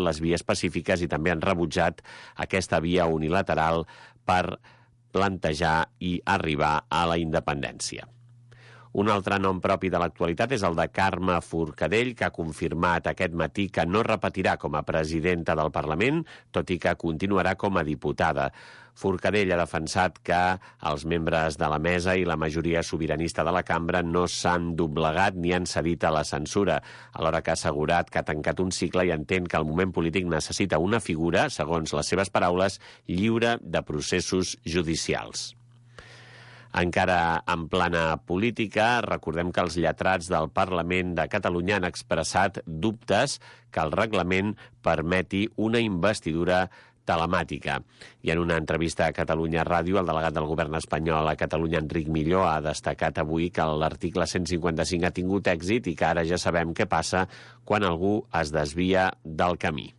les vies pacífiques i també han rebutjat aquesta via unilateral per plantejar i arribar a la independència. Un altre nom propi de l'actualitat és el de Carme Forcadell, que ha confirmat aquest matí que no repetirà com a presidenta del Parlament, tot i que continuarà com a diputada. Forcadell ha defensat que els membres de la mesa i la majoria sobiranista de la cambra no s'han doblegat ni han cedit a la censura, alhora que ha assegurat que ha tancat un cicle i entén que el moment polític necessita una figura, segons les seves paraules, lliure de processos judicials. Encara en plana política, recordem que els lletrats del Parlament de Catalunya han expressat dubtes que el reglament permeti una investidura telemàtica. I en una entrevista a Catalunya Ràdio, el delegat del govern espanyol a Catalunya, Enric Milló, ha destacat avui que l'article 155 ha tingut èxit i que ara ja sabem què passa quan algú es desvia del camí.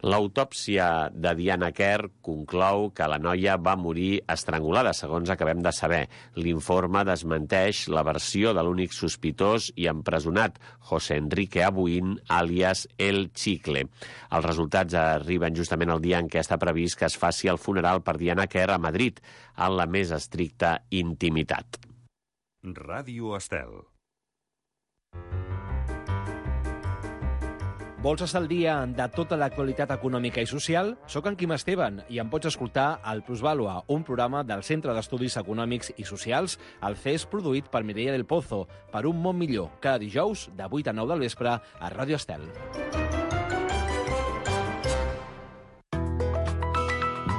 L'autòpsia de Diana Kerr conclou que la noia va morir estrangulada, segons acabem de saber. L'informe desmenteix la versió de l'únic sospitós i empresonat, José Enrique Abuin, àlies El Chicle. Els resultats arriben justament el dia en què està previst que es faci el funeral per Diana Kerr a Madrid, en la més estricta intimitat. Ràdio Estel. Vols estar al dia de tota l'actualitat econòmica i social? Soc en Quim Esteban i em pots escoltar al Plusvàlua, un programa del Centre d'Estudis Econòmics i Socials, el CES, produït per Mireia del Pozo, per un món millor, cada dijous de 8 a 9 del vespre a Ràdio Estel.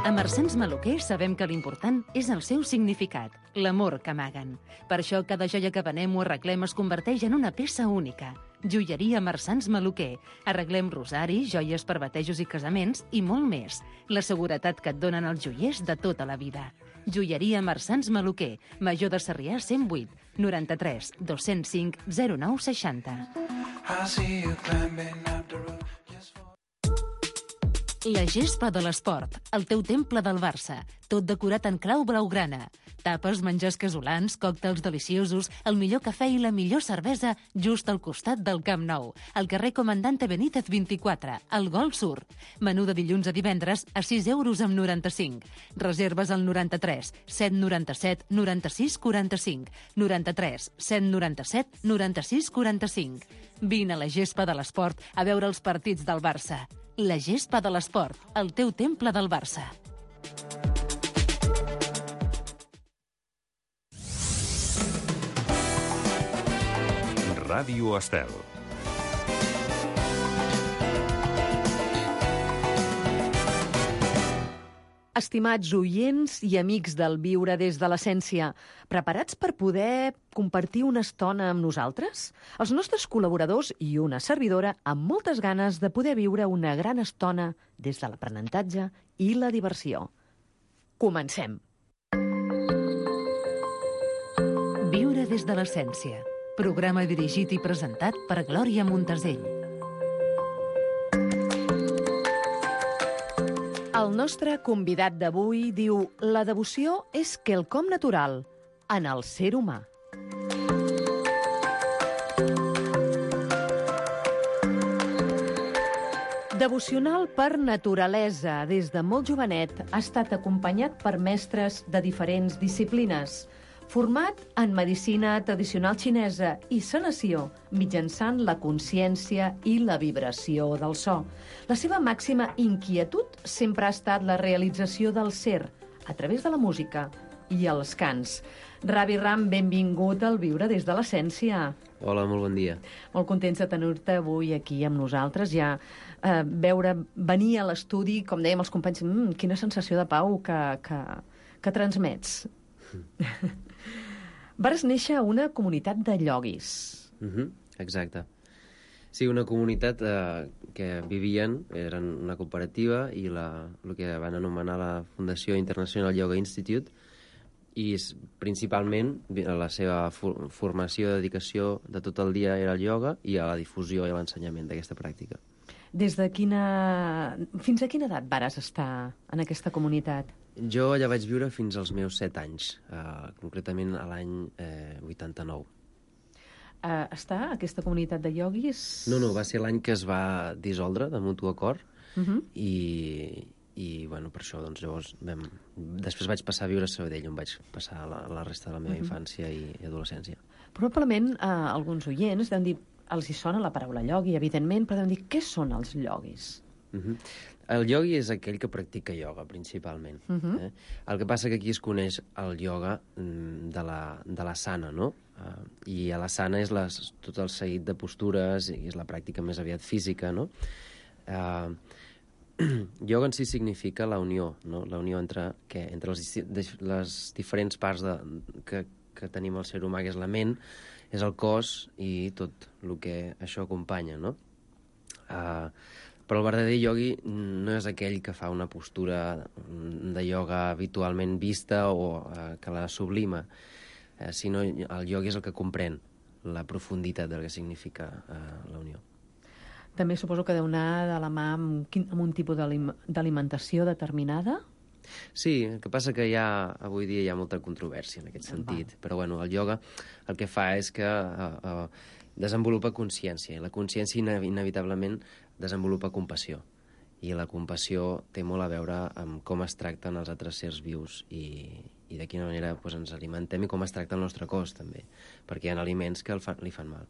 A Marsans Maluquer sabem que l'important és el seu significat, l'amor que amaguen. Per això cada joia que venem o arreglem es converteix en una peça única. Joieria Marsans Maluquer. Arreglem rosaris, joies per batejos i casaments i molt més. La seguretat que et donen els joiers de tota la vida. Joieria Marsans Maluquer. Major de Sarrià 108 93 205 0960. La gespa de l'esport, el teu temple del Barça, tot decorat en clau blaugrana. Tapes, menjars casolans, còctels deliciosos, el millor cafè i la millor cervesa just al costat del Camp Nou, al carrer Comandante Benítez 24, al Gol Sur. Menú de dilluns a divendres a 6 euros amb 95. Reserves al 93 797 96 45, 93 797 96 45. Vine a la gespa de l'esport a veure els partits del Barça. La gespa de l'esport, el teu temple del Barça. Ràdio Estel. Estimats oients i amics del Viure des de l'Essència, preparats per poder compartir una estona amb nosaltres? Els nostres col·laboradors i una servidora amb moltes ganes de poder viure una gran estona des de l'aprenentatge i la diversió. Comencem! Viure des de l'Essència. Programa dirigit i presentat per Glòria Montesell. El nostre convidat d'avui diu: la devoció és quelcom natural en el ser humà. Devocional per naturalesa, des de molt jovenet ha estat acompanyat per mestres de diferents disciplines. Format en medicina tradicional xinesa i sanació mitjançant la consciència i la vibració del so. La seva màxima inquietud sempre ha estat la realització del ser a través de la música i els cants. Ravi Ram, benvingut al Viure des de l'Essència. Hola, molt bon dia. Molt contents de tenir-te avui aquí amb nosaltres. Ja veure venir a l'estudi, com dèiem els companys, quina sensació de pau que transmets. Vares néixer a una comunitat de ioguis. Exacte. Sí, una comunitat que vivien, eren una cooperativa i el que van anomenar la Fundació International Yoga Institute, i principalment la seva formació i dedicació de tot el dia era el ioga i a la difusió i a l'ensenyament d'aquesta pràctica. Fins a quina edat vares estar en aquesta comunitat? Jo allà vaig viure fins als meus 7 anys, concretament a l'any 89. està aquesta comunitat de ioguis? No, va ser l'any que es va dissoldre de mutu acord i bueno, per això doncs, llavors després vaig passar a viure a Sabadell, on vaig passar la resta de la meva infància i adolescència. Probablement alguns oients deuen dir, els hi sona la paraula iogui, evidentment, però deuen dir, què són els ioguis? El iogui és aquell que practica ioga, principalment. El que passa que aquí es coneix el ioga de l'asana, no? I a l'asana és tot el seguit de postures i és la pràctica més aviat física, no? Ioga en si significa la unió, no? La unió entre les diferents parts que tenim el ser humà, que és la ment, és el cos i tot el que això acompanya, no? Però el verdader iogui no és aquell que fa una postura de ioga habitualment vista o que la sublima, sinó el iogui és el que comprèn la profunditat del que significa la unió. També suposo que deu anar de la mà amb un tipus d'alimentació determinada? Sí, el que passa que avui dia hi ha molta controvèrsia en aquest sentit, però bueno, el ioga el que fa és que desenvolupa consciència, i la consciència inevitablement desenvolupa compassió, i la compassió té molt a veure amb com es tracten els altres sers vius i de quina manera ens alimentem i com es tracta el nostre cos, també, perquè hi ha aliments que li fan mal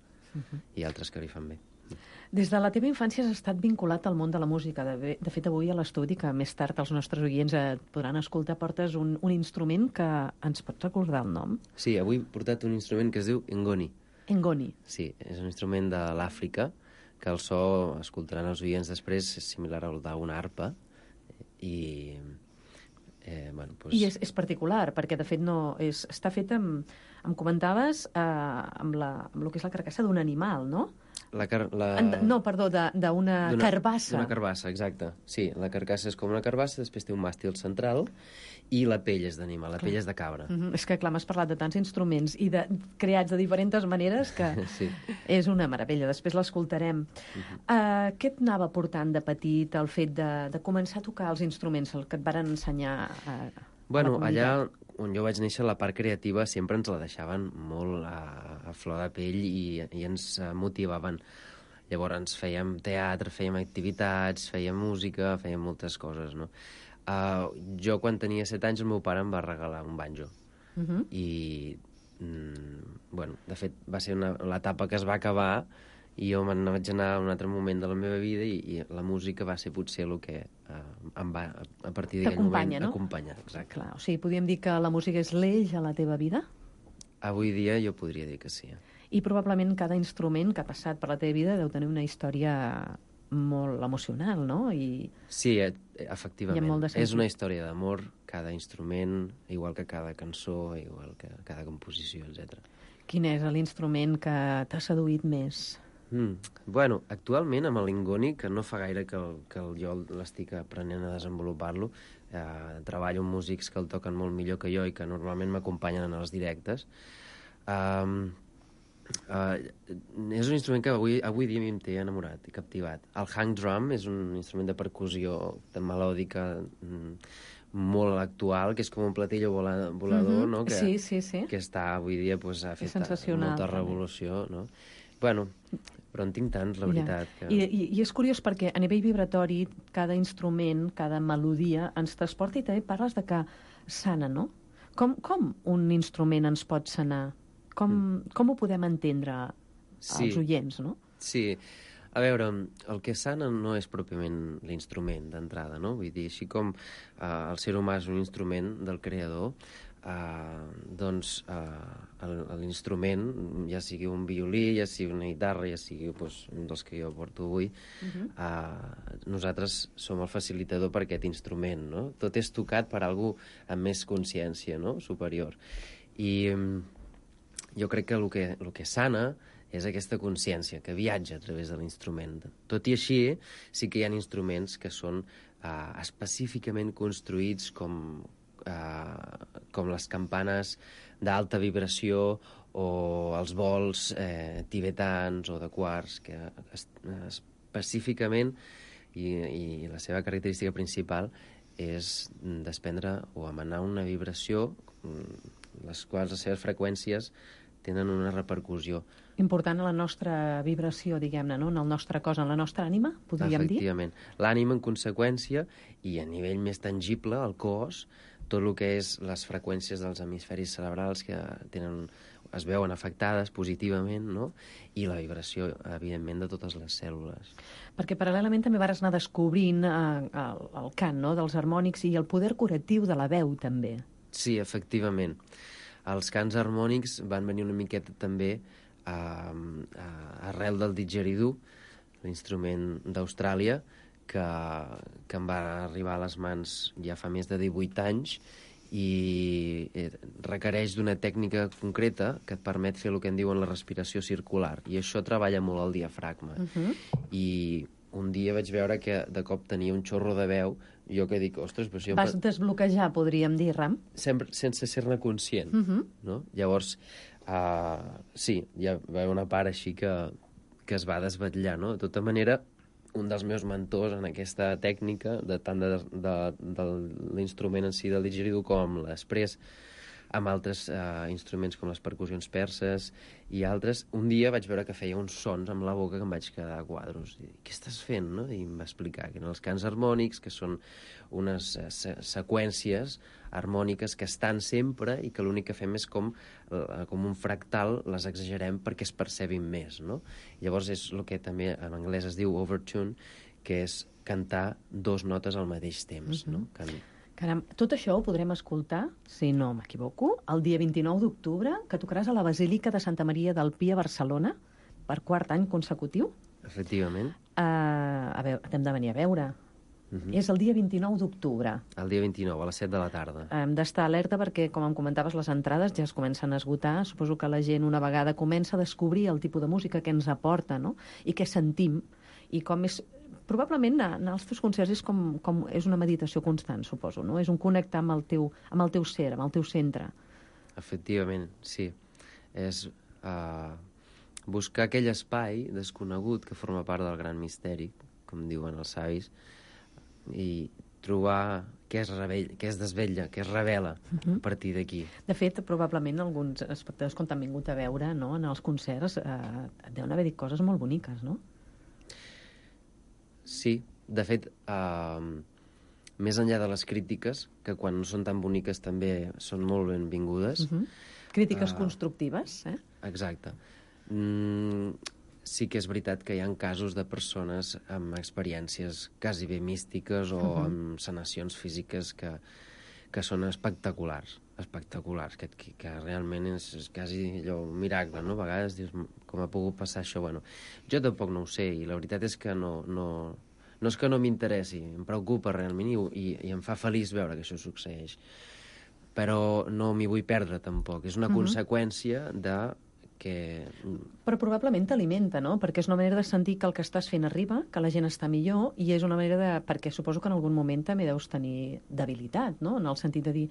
i altres que li fan bé. Des de la teva infància has estat vinculat al món de la música. De fet, avui a l'estudi, que més tard els nostres oients podran escoltar, portes un instrument que ens pots recordar el nom? Sí, avui he portat un instrument que es diu ngoni. Ngoni. Sí, és un instrument de l'Àfrica, que el so, escoltaran els oients després, és similar al d'una arpa, i... I és particular, perquè de fet està fet em comentaves, amb el que és la carcassa d'un animal, no? No, perdó, d'una carbassa. D'una carbassa, exacte. Sí, la carcassa és com una carbassa, després té un màstil central i la pell és d'animal, la pell és de cabra. És que, clar, m'has parlat de tants instruments i creats de diferents maneres que sí. És una meravella, després l'escoltarem. Què et anava portant de petit el fet de començar a tocar els instruments, el que et varen ensenyar a la comunitat? Allà on jo vaig néixer, la part creativa sempre ens la deixaven molt a flor de pell i ens motivaven. Llavors fèiem teatre, fèiem activitats, fèiem música, fèiem moltes coses, no? Jo, quan tenia 7 anys, el meu pare em va regalar un banjo. I, de fet, va ser l'etapa que es va acabar i jo me'n vaig anar a un altre moment de la meva vida i la música va ser potser el que em va, a partir d'aquell moment, acompanyar. Exacte. Clar, o sigui, podríem dir que la música és l'eix a la teva vida? Avui dia jo podria dir que sí. I probablement cada instrument que ha passat per la teva vida deu tenir una història molt emocional, no? Sí, efectivament. És una història d'amor, cada instrument, igual que cada cançó, igual que cada composició, etc. Quin és l'instrument que t'ha seduït més? Actualment amb l'ingoni, que no fa gaire que jo l'estic aprenent a desenvolupar-lo, treballo amb músics que el toquen molt millor que jo i que normalment m'acompanyen en els directes. És un instrument que avui dia em té enamorat i captivat. El hang drum és un instrument de percussió melòdica molt actual, que és com un platillo volador, no? Que està avui dia, ha fet molta revolució, no? Bueno, però en tinc tants, la veritat. I és curiós perquè a nivell vibratori cada instrument, cada melodia ens transporta, i també parles de que sana, no? Com un instrument ens pot sanar? Com ho podem entendre els oients, no? Sí, a veure, el que sana no és pròpiament l'instrument d'entrada, no? Vull dir, així com el ser humà és un instrument del creador, doncs l'instrument, ja sigui un violí, ja sigui una guitarra, ja sigui un dels que jo porto avui, nosaltres som el facilitador per aquest instrument, no? Tot és tocat per algú amb més consciència, no? Superior. I jo crec que el que sana és aquesta consciència que viatja a través de l'instrument. Tot i així, sí que hi ha instruments que són específicament construïts com les campanes d'alta vibració o els bols tibetans o de quars, que específicament, i la seva característica principal és desprendre o emanar una vibració, les quals les seves freqüències tenen una repercussió. Important a la nostra vibració, diguem-ne, no? En el nostre cos, en la nostra ànima, podríem dir? Efectivament. L'ànima, en conseqüència, i a nivell més tangible, el cos, tot el que és les freqüències dels hemisferis cerebrals que es veuen afectades positivament, no? I la vibració, evidentment, de totes les cèl·lules. Perquè paral·lelament també vas anar descobrint el cant, no?, dels harmònics i el poder curatiu de la veu, també. Sí, efectivament. Els cants harmònics van venir una miqueta també arrel del didgeridoo, l'instrument d'Austràlia, que em va arribar a les mans ja fa més de 18 anys i requereix d'una tècnica concreta que et permet fer el que en diuen la respiració circular. I això treballa molt el diafragma. I un dia vaig veure que de cop tenia un xorro de veu, jo que dic, ostres, però si jo... Vas desbloquejar, podríem dir, Ram? Sempre sense ser-ne conscient, no? Llavors, sí, hi va haver una part així que es va desvetllar, no? De tota manera, un dels meus mentors en aquesta tècnica, tant de l'instrument en si del didgeridoo com l'esprès, amb altres instruments com les percussions perses i altres, un dia vaig veure que feia uns sons amb la boca que em vaig quedar a quadros. I, què estàs fent, no? I em va explicar que eren els cants harmònics, que són unes seqüències harmòniques que estan sempre i que l'únic que fem és com un fractal, les exagerem perquè es percebin més, no? Llavors és el que també en anglès es diu overtune, que és cantar 2 notes al mateix temps, no? Caram, tot això ho podrem escoltar, si no m'equivoco, el dia 29 d'octubre, que tocaràs a la Basílica de Santa Maria del Pi a Barcelona, per 4 any consecutiu. Efectivament. A veure, t'hem de venir a veure. És el dia 29 d'octubre. El dia 29, a les 7 de la tarda. Hem d'estar alerta perquè, com em comentaves, les entrades ja es comencen a esgotar. Suposo que la gent una vegada comença a descobrir el tipus de música que ens aporta, no? I què sentim, i com és... Probablement anar als teus concerts és com és una meditació constant, suposo, no? És un connectar amb el teu ser, amb el teu centre. Efectivament, sí. És buscar aquell espai desconegut que forma part del gran misteri, com diuen els savis, i trobar què es desvetlla, què es revela a partir d'aquí. De fet, probablement alguns espectadors, quan t'han vingut a veure, no?, en els concerts, et deuen haver dit coses molt boniques, no? Sí, de fet, més enllà de les crítiques, que quan no són tan boniques també són molt benvingudes. Crítiques constructives, eh? Exacte. Sí que és veritat que hi ha casos de persones amb experiències quasi bé místiques o amb sanacions físiques que són espectaculars, que realment és quasi allò un miracle, no? A vegades dius, com ha pogut passar això? Bueno, jo tampoc no ho sé, i la veritat és que no és que no m'interessi, em preocupa realment i em fa feliç veure que això succeeix. Però no m'hi vull perdre, tampoc. És una conseqüència de que... Però probablement t'alimenta, no? Perquè és una manera de sentir que el que estàs fent arriba, que la gent està millor, i és una manera de... Perquè suposo que en algun moment també deus tenir debilitat, no? En el sentit de dir,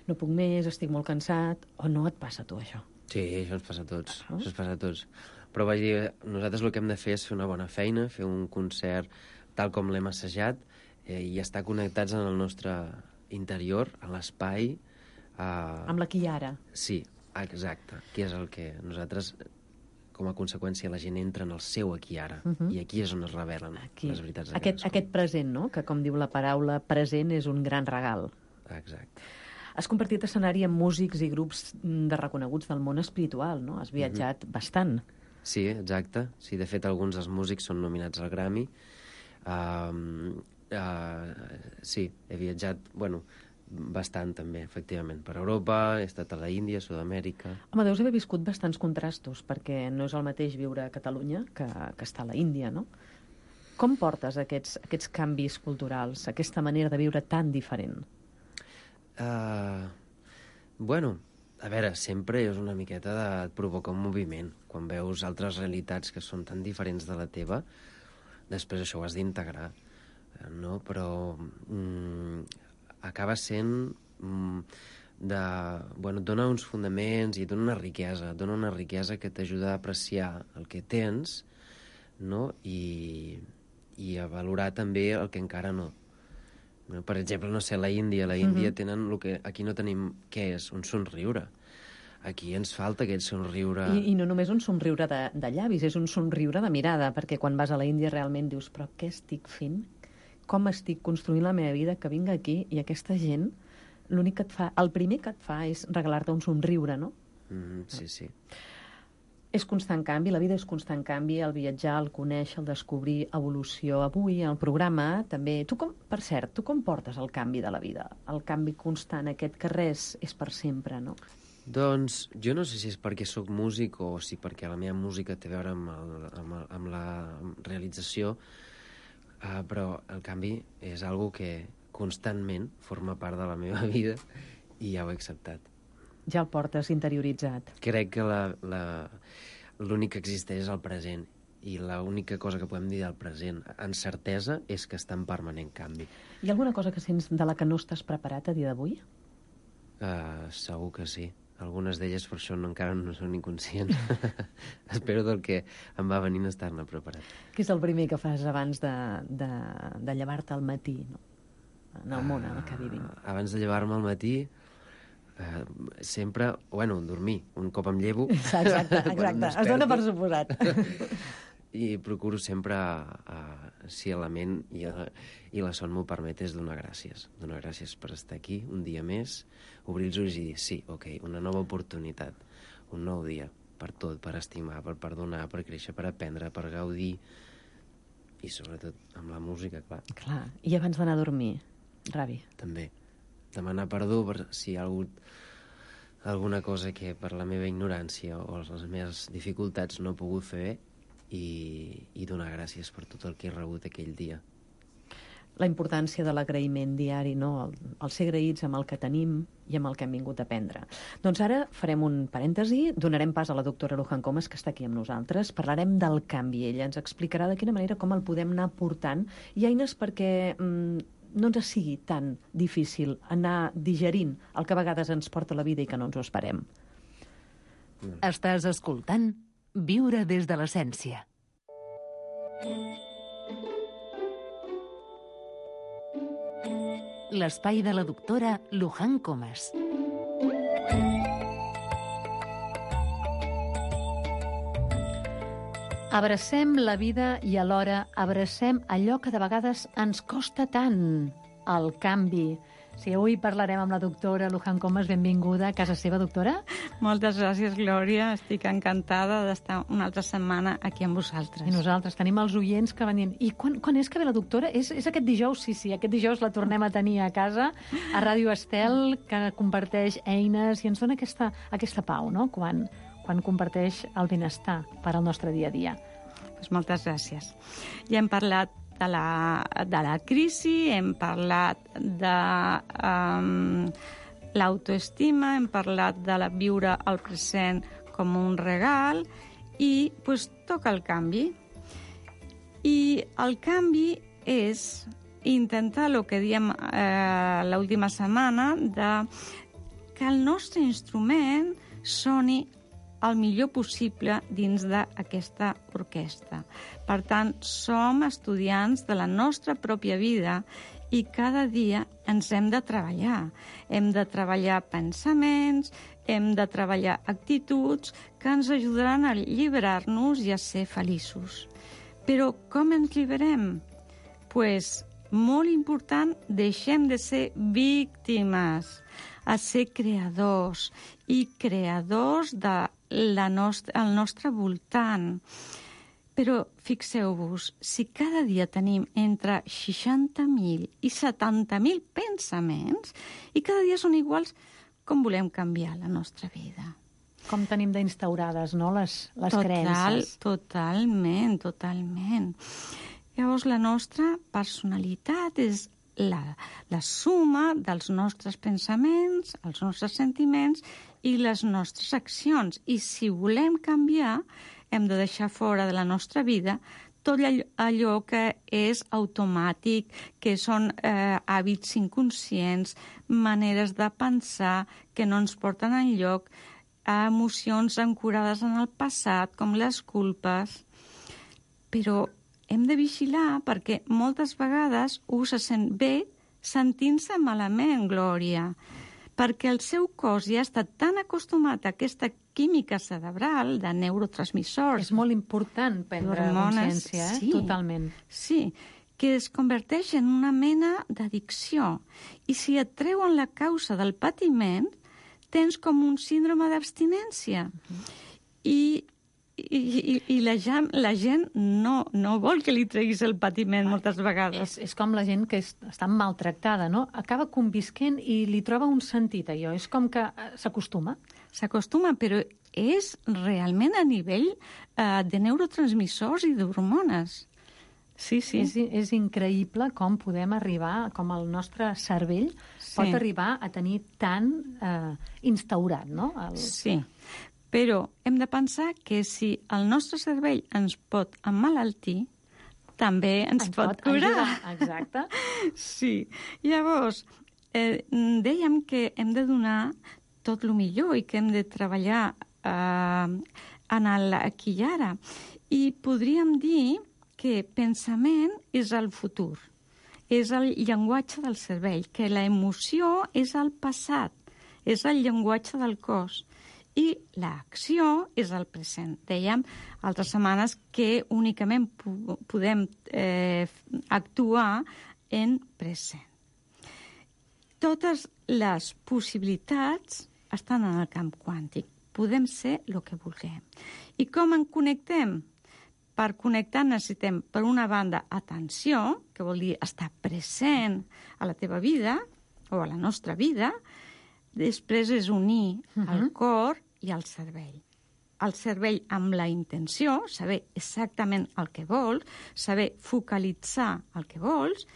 no puc més, estic molt cansat, o no et passa a tu, això? Sí, això ens passa a tots. Això ens passa a tots. Però vaig dir, nosaltres el que hem de fer és fer una bona feina, fer un concert tal com l'hem assajat, i estar connectats en el nostre interior, a l'espai... Amb l'aquí i ara. Sí, exacte, que és el que nosaltres, com a conseqüència, la gent entra en el seu aquí i ara, i aquí és on es revelen les veritats de cadascú. Aquest present, no?, que com diu la paraula, present és un gran regal. Exacte. Has compartit escenari amb músics i grups de reconeguts del món espiritual, no? Has viatjat bastant. Sí, exacte. Sí, de fet, alguns dels músics són nominats al Grammy. Sí, he viatjat, bastant també, efectivament, per Europa, he estat a la Índia, a Sud-amèrica... Home, deus haver viscut bastants contrastos, perquè no és el mateix viure a Catalunya que estar a la Índia, no? Com portes aquests canvis culturals, aquesta manera de viure tan diferent? A veure, sempre és una miqueta de provocar un moviment. Quan veus altres realitats que són tan diferents de la teva, després això ho has d'integrar, no? Però... acaba sent et dona uns fonaments i et dona una riquesa que t'ajuda a apreciar el que tens, no? I a valorar també el que encara no. Per exemple, no sé, la Índia tenen el que aquí no tenim, què és? Un somriure. aquí ens falta aquest somriure... I no només un somriure de llavis, és un somriure de mirada, perquè quan vas a la Índia realment dius, però què estic fent? Com estic construint la meva vida, que vinc aquí i aquesta gent, l'únic que et fa, el primer que et fa és regalar-te un somriure, no? Sí, sí. És constant canvi, la vida és constant canvi, el viatjar, el conèixer, el descobrir, evolució. Avui, al programa, també... Per cert, tu com portes el canvi de la vida? El canvi constant, aquest que res és per sempre, no? Doncs jo no sé si és perquè sóc músic o si perquè la meva música té a veure amb la realització, però el canvi és algo que constantment forma part de la meva vida i ja ho he acceptat. Ja el portes interioritzat. Crec que l'únic que existeix és el present i l'única cosa que podem dir del present amb certesa és que està en permanent canvi. Hi ha alguna cosa que sents de la que no estàs preparat a dia d'avui? Segur que sí. Algunes d'elles per això encara no són inconscients. Espero del que em va venint estar-ne preparat. Què és el primer que fas abans de llevar-te al matí, no? En el món en el que vivim? Abans de llevar-me al matí, sempre, dormir. Un cop em llevo... Exacte. Es dona per suposat. I procuro sempre, si la ment i la son m'ho permet, és donar gràcies. Donar gràcies per estar aquí un dia més, obrir els ulls i dir, sí, ok, una nova oportunitat, un nou dia, per tot, per estimar, per perdonar, per créixer, per aprendre, per gaudir, i sobretot amb la música, clar. Clar, i abans d'anar a dormir, Ravi? També. Demanar perdó per si hi ha hagut alguna cosa que per la meva ignorància o les meves dificultats no he pogut fer bé, i donar gràcies per tot el que he rebut aquell dia. La importància de l'agraïment diari, no? El ser agraïts amb el que tenim i amb el que hem vingut a aprendre. Doncs ara farem un parèntesi, donarem pas a la doctora Luján Comas, que està aquí amb nosaltres, parlarem del canvi. Ella ens explicarà de quina manera com el podem anar portant i eines perquè no ens sigui tan difícil anar digerint el que a vegades ens porta la vida i que no ens ho esperem. Estàs escoltant Viure des de l'essència. L'espai de la doctora Luján Comas. Abracem la vida i alhora abracem allò que de vegades ens costa tant, el canvi. Sí, avui parlarem amb la doctora Luján Comas. Benvinguda a casa seva, doctora. Moltes gràcies, Glòria. Estic encantada d'estar una altra setmana aquí amb vosaltres. I nosaltres tenim els oients que venien. I quan és que ve la doctora? És aquest dijous? Sí, aquest dijous la tornem a tenir a casa, a Ràdio Estel, que comparteix eines i ens dona aquesta pau, no?, quan comparteix el benestar per al nostre dia a dia. Pues moltes gràcies. Ja hem parlat de la crisi, hem parlat de l'autoestima, hem parlat de viure el present com un regal i pues, toca el canvi. I el canvi és intentar el que diem l'última setmana, que el nostre instrument soni el millor possible dins d'aquesta orquestra. Per tant, som estudiants de la nostra pròpia vida i cada dia ens hem de treballar. Hem de treballar pensaments, hem de treballar actituds que ens ajudaran a alliberar-nos i a ser feliços. Però com ens lliberem? Pues, molt important, deixem de ser víctimes, a ser creadors i creadors del nostre voltant. Però fixeu-vos, si cada dia tenim entre 60.000 i 70.000 pensaments i cada dia són iguals, com volem canviar la nostra vida? Com tenim d'instaurades, no?, les creences. Totalment. Llavors, la nostra personalitat és la suma dels nostres pensaments, els nostres sentiments i les nostres accions. I si volem canviar, hem de deixar fora de la nostra vida tot allò que és automàtic, que són hàbits inconscients, maneres de pensar que no ens porten enlloc, emocions ancorades en el passat, com les culpes. Però hem de vigilar perquè moltes vegades se sent bé sentint-se malament, Glòria. perquè el seu cos ja està tan acostumat a aquesta química cerebral de neurotransmissors. És molt important prendre consciència, sí, totalment. Sí, que es converteix en una mena d'addicció. I si et treuen la causa del patiment, tens com un síndrome d'abstinència. I la gent no vol que li treguis el patiment moltes vegades. És com la gent que està maltractada, no? Acaba convisquent i li troba un sentit, allò. És com que s'acostuma. S'acostuma, però és realment a nivell de neurotransmissors i d'hormones. Sí. És increïble com podem arribar, com el nostre cervell pot arribar a tenir tan instaurat, no? Sí, però hem de pensar que si el nostre cervell ens pot emmalaltir, també ens pot curar. Ajudar. Exacte. Sí. Llavors, dèiem que hem de donar tot el millor i que hem de treballar en l'aquí i ara. I podríem dir que pensament és el futur, és el llenguatge del cervell, que l'emoció és el passat, és el llenguatge del cos, i l'acció és el present. Dèiem altres setmanes que únicament podem actuar en present. Totes les possibilitats estan en el camp quàntic. Podem ser el que vulguem. I com en connectem? Per connectar necessitem, per una banda, atenció, que vol dir estar present a la teva vida o a la nostra vida. Després és unir el cor i el cervell. El cervell amb la intenció, saber exactament el que vols, saber focalitzar el que vols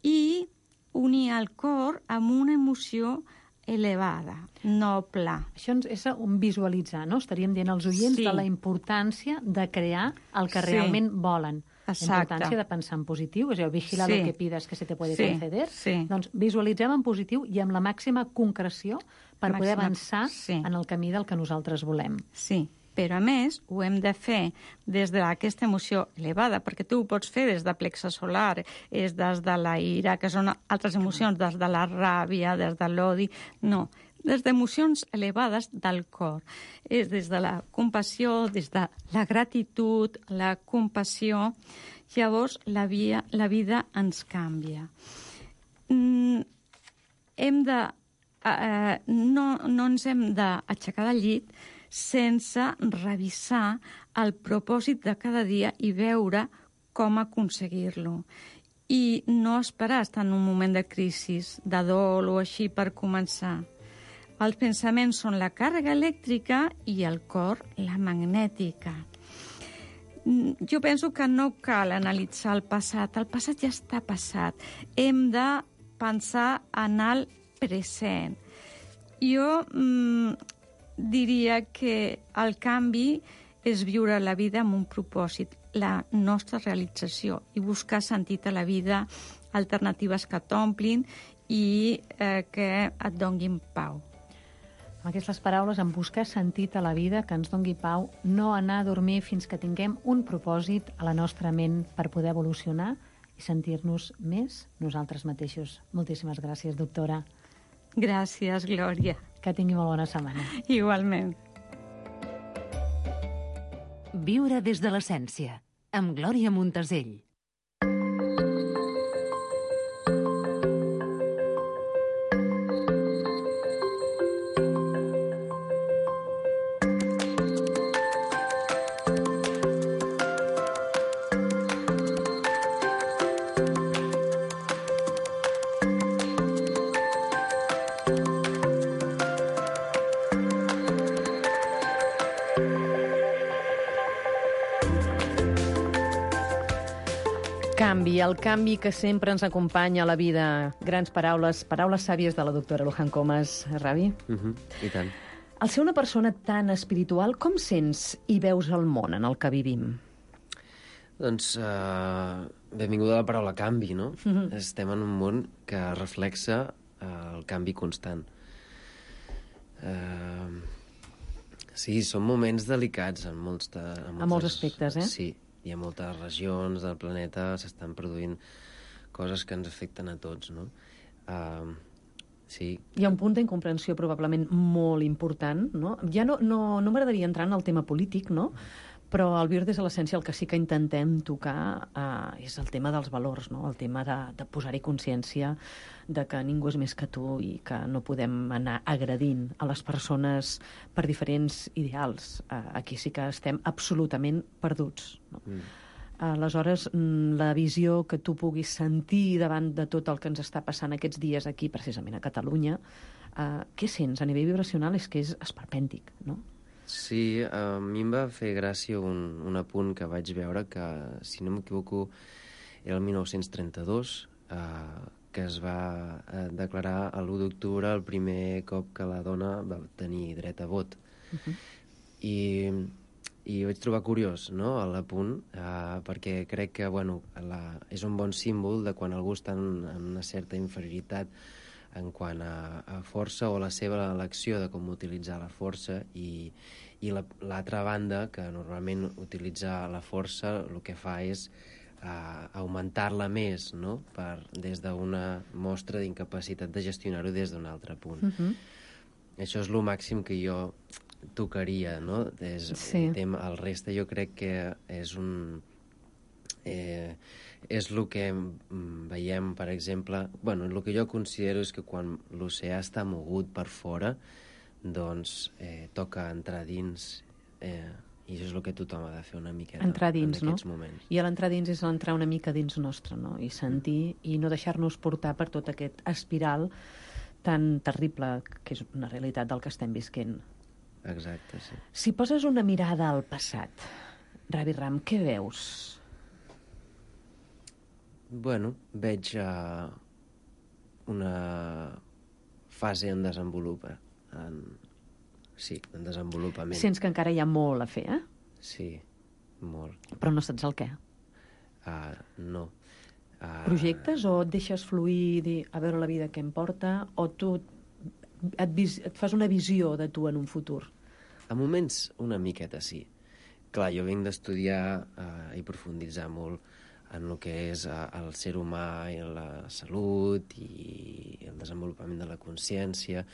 i unir el cor amb una emoció elevada, noble. Això és un visualitzar, no? Estaríem dient als oients de la importància de crear el que realment volen. Exacte. La importància de pensar en positiu, és a dir, vigilar lo que pides que se te puede conceder. Doncs visualitzem en positiu i amb la màxima concreció per poder avançar en el camí del que nosaltres volem. Sí, però a més ho hem de fer des d'aquesta emoció elevada, perquè tu ho pots fer des de plexe solar, és des de la ira, que són altres emocions, des de la ràbia, des de l'odi. No, des d'emocions elevades del cor. És des de la compassió, des de la gratitud, la compassió. Llavors la vida ens canvia. No ens hem d'aixecar del llit sense revisar el propòsit de cada dia i veure com aconseguir-lo. I no esperar estar en un moment de crisi, de dol o així per començar. Els pensaments són la càrrega elèctrica i el cor la magnètica. Jo penso que no cal analitzar el passat ja està passat. Hem de pensar en el present. Jo diria que el canvi és viure la vida amb un propòsit, la nostra realització, i buscar sentit a la vida, alternatives que t'omplin i que et donguin pau. Amb aquestes paraules, en buscar sentit a la vida, que ens dongui pau, no anar a dormir fins que tinguem un propòsit a la nostra ment per poder evolucionar i sentir-nos més nosaltres mateixos. Moltíssimes gràcies, doctora. Gràcies, Glòria. Que tingui molt bona setmana. Igualment. Viure des de l'essència, amb Glòria Montesell. El canvi que sempre ens acompanya a la vida. Grans paraules sàvies de la doctora Luján Comas. Ravi? I tant. Al ser una persona tan espiritual, com sents i veus el món en el que vivim? Doncs, benvinguda a la paraula canvi, no? Estem en un món que reflexa el canvi constant. Sí, són moments delicats en molts aspectes, Sí. Hi ha moltes regions del planeta, s'estan produint coses que ens afecten a tots, no? Sí. Hi ha un punt d'incomprensió probablement molt important, no? Ja no m'agradaria entrar en el tema polític, no? Però al Viure des de l'essència el que sí que intentem tocar és el tema dels valors, no? El tema de posar-hi consciència de que ningú és més que tu i que no podem anar agredint a les persones per diferents ideals. Aquí sí que estem absolutament perduts, no? Aleshores, la visió que tu puguis sentir davant de tot el que ens està passant aquests dies aquí, precisament a Catalunya, què sents a nivell vibracional? És que és esperpèntic, no? Sí, a mi em va fer gràcia un apunt que vaig veure que, si no m'equivoco, era el 1932, que es va declarar l'1 d'octubre el primer cop que la dona va tenir dret a vot. I vaig trobar curiós, no?, l'apunt, perquè crec que, bueno, és un bon símbol de quan algú està en una certa inferioritat en quant a força o la seva elecció de com utilitzar la força, i l'altra banda, que normalment utilitzar la força el que fa és augmentar-la més, no?, des d'una mostra d'incapacitat de gestionar-ho des d'un altre punt. Això és el màxim que jo tocaria, no? El reste jo crec que és el que veiem, per exemple... Bueno, el que jo considero és que quan l'oceà està mogut per fora, doncs toca entrar dins, i això és el que tothom ha de fer una miqueta entrar dins, en aquests moments. I l'entrar dins és entrar una mica dins nostre, no? I sentir i no deixar-nos portar per tot aquest espiral tan terrible que és una realitat del que estem visquent. Exacte, sí. Si poses una mirada al passat, Ravi Ram, què veus? Bueno, veig una fase en desenvolupament. Sí, en desenvolupament. Sents que encara hi ha molt a fer, eh? Sí, molt. Però no saps el què? No. Projectes o et deixes fluir i dir a veure la vida què em porta, o tu et fas una visió de tu en un futur? A moments una miqueta sí. Clar, jo vinc d'estudiar i profunditzar molt en el que és el ser humà i la salut i el desenvolupament de la consciència,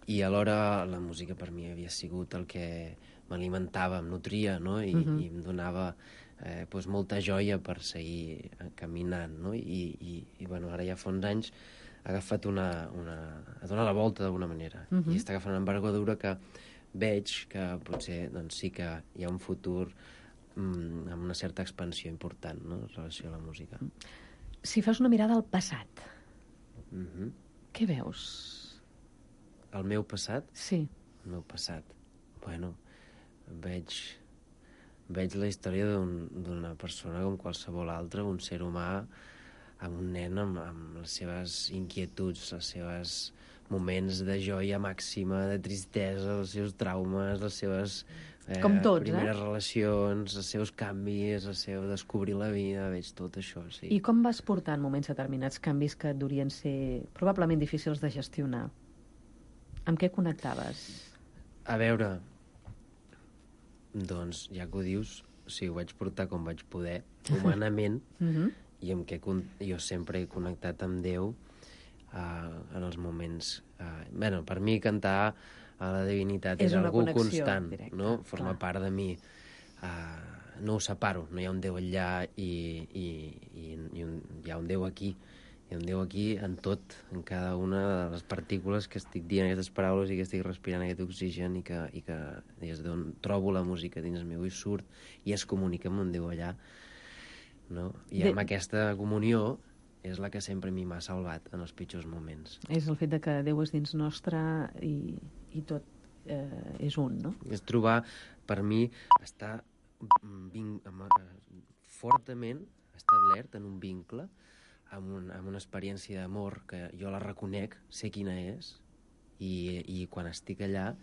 i alhora la música per mi havia sigut el que m'alimentava, em nutria, no? I em donava molta joia per seguir caminant, no? I bueno, ara ja fa uns anys ha agafat ha donat la volta d'alguna manera, i està agafant una envergadura que veig que potser doncs, sí que hi ha un futur amb una certa expansió important, no?, en relació a la música. Si fas una mirada al passat, què veus? El meu passat? Sí. El meu passat? Bueno, veig la història d'una persona com qualsevol altra, un ser humà, amb un nen amb les seves inquietuds, els seus moments de joia màxima, de tristesa, els seus traumes, les seves com tots, primeres relacions, els seus canvis, el seu descobrir la vida, veig tot això, sí. I com vas portar en moments determinats canvis que durien ser probablement difícils de gestionar? Amb què connectaves? A veure, doncs, ja que ho dius, ho vaig portar com vaig poder, humanament, i amb què jo sempre he connectat amb Déu en els moments... per mi cantar a la divinitat és algú constant, directa, no? Forma part de mi. No ho separo, no hi ha un Déu allà i hi ha un Déu aquí. Hi ha un Déu aquí en tot, en cada una de les partícules que estic dient aquestes paraules i que estic respirant aquest oxigen i que des d'on trobo la música dins meu i surt i es comunica amb un Déu allà. No? I amb aquesta comunió és la que sempre a mi m'ha salvat en els pitjors moments. És el fet de que Déu és dins nostre i tot és un, no? És trobar, per mi, estar fortament establert en un vincle amb una experiència d'amor que jo la reconec, sé quina és, i quan estic allà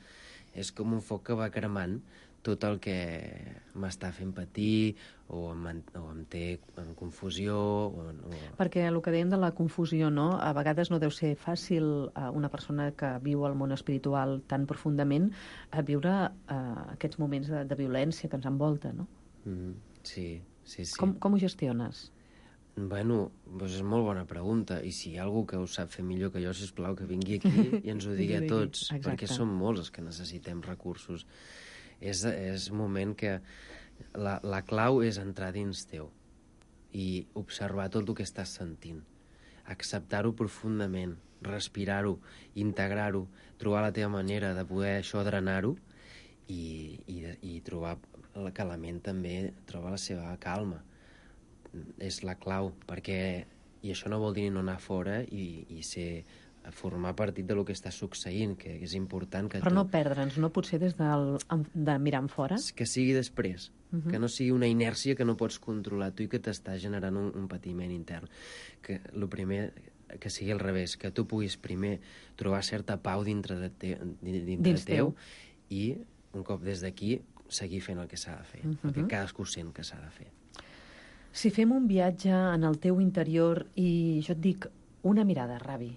és com un foc que va cremant tot el que m'està fent patir o em té en confusió. Perquè el que dèiem de la confusió, no? A vegades no deu ser fàcil a una persona que viu el món espiritual tan profundament a viure aquests moments de violència que ens envolta, no? Sí. Com ho gestiones? Bueno, doncs és molt bona pregunta. I si hi ha algú que ho sap fer millor que jo, sisplau, que vingui aquí i ens ho digui a tots. Exacte. Perquè som molts els que necessitem recursos. És un moment que la clau és entrar dins teu i observar tot el que estàs sentint. Acceptar-ho profundament, respirar-ho, integrar-ho, trobar la teva manera de poder això drenar-ho i trobar que la ment també troba la seva calma. És la clau, perquè i això no vol dir no anar fora i formar partit del que està succeint, que és important que Però no perdre'ns, no potser des de mirar en fora? que sigui després, que no sigui una inèrcia que no pots controlar tu i que t'està generant un patiment intern. Que el primer que sigui al revés, que tu puguis primer trobar certa pau dintre teu i un cop des d'aquí seguir fent el que s'ha de fer, perquè cadascú sent que s'ha de fer. Si fem un viatge en el teu interior i jo et dic una mirada, Ravi,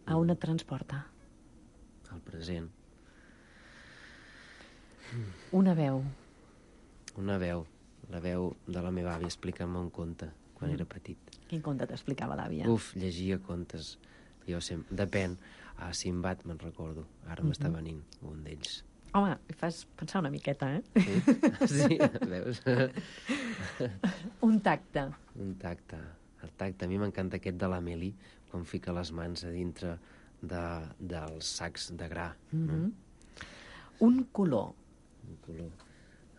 a on et transporta? Al present. Una veu. Una veu, la veu de la meva àvia explicant-me un conte quan era petit. Quin conte t'explicava l'àvia? Uf, llegia contes. Jo sempre... Depèn. A Simbat me'n recordo. Ara m'està venint un d'ells. Home, em fas pensar una miqueta, eh? Sí, veus? Un tacte. Un tacte. El tacte. A mi m'encanta aquest de l'Amélie, quan fica les mans a dintre dels sacs de gra. Un color. Un color.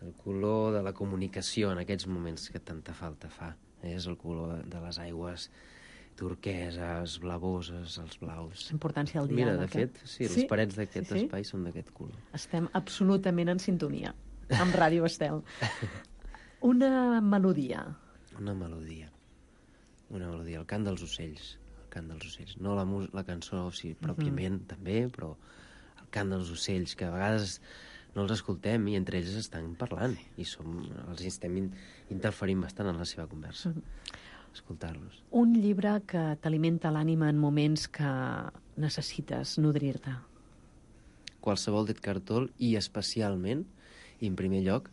El color de la comunicació en aquests moments que tanta falta fa. És el color de les aigües turqueses, blavoses, els blaus. La importància del Mira, diàleg. de fet, sí, les parets d'aquest espai són d'aquest color. Estem absolutament en sintonia amb Ràdio Estel. Una melodia. Una melodia. Una melodia. El cant dels ocells. El cant dels ocells. No la cançó, sí, pròpiament, també, però el cant dels ocells, que a vegades no els escoltem i entre ells estan parlant i els estem interferint bastant en la seva conversa. Escoltar-los. Un llibre que t'alimenta l'ànima en moments que necessites nodrir-te. Qualsevol d'Edgar Tolle i especialment, i en primer lloc,